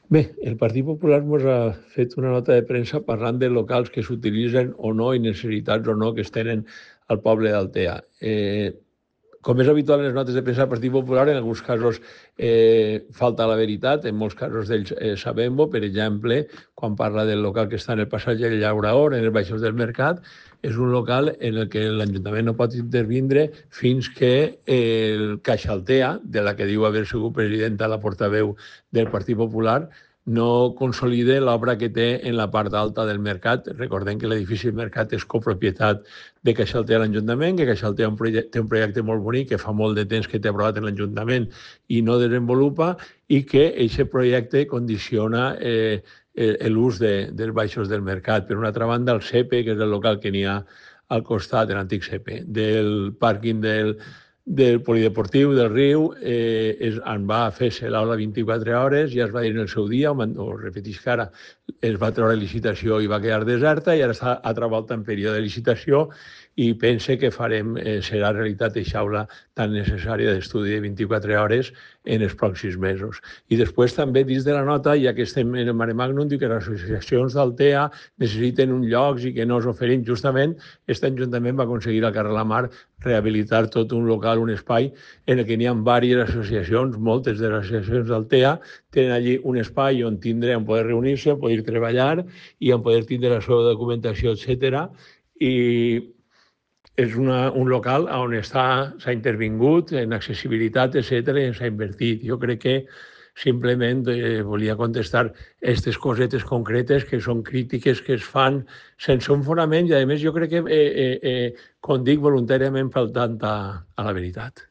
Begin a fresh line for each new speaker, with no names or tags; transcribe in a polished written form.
Bé, el Partit Popular ens ha fet una nota de premsa parlant de locals que s'utilitzen o no i necessitats o no que es tenen al poble d'Altea. Com és habitual en les notes de premsa del Partit Popular, en alguns casos falta la veritat, en molts casos d'ells sabem-ho. Per exemple, quan parla del local que està en el passatge del Llaurador, en els baixos del Mercat, és un local en el que l'Ajuntament no pot intervindre fins que el CaixAltea, de la que diu haver sigut presidenta la portaveu del Partit Popular, no consolide l'obra que té en la part alta del Mercat. Recordem que l'edifici del Mercat és copropietat de CaixAltea a l'Ajuntament, que CaixAltea té un projecte molt bonic que fa molt de temps que té aprovat en l'Ajuntament i no desenvolupa, i que aquest projecte condiciona l'ús dels baixos del Mercat. Per una altra banda, el CEPE, que és el local que n'hi ha al costat, de l'antic CEPE, del pàrquing del polideportiu del Riu, en va fer-se l'aula 24 hores, ja es va dir en el seu dia, o repeteix que ara es va treure licitació i va quedar deserta, i ara està altra volta en període de licitació, i pense que serà realitat aquesta aula tan necessària d'estudi de 24 hores en els pròxims mesos. I després també dins de la nota, ja que estem en el Mare Magnum, diu que les associacions d'Altea necessiten un lloc i que no s'oferim. Justament, aquest Ajuntament va aconseguir al carrer La Mar rehabilitar tot un local, un espai, en el que n'hi ha diverses associacions. Moltes de les associacions d'Altea tenen allí un espai on poder reunir-se, on poder treballar i on poder tindre la seva documentació, etc. I és un local on s'ha intervingut en accessibilitat, etc., i s'ha invertit. Jo crec que simplement volia contestar aquestes cosetes concretes que són crítiques que es fan sense un fonament i, a més, jo crec que, com dic, voluntàriament faltant a la veritat.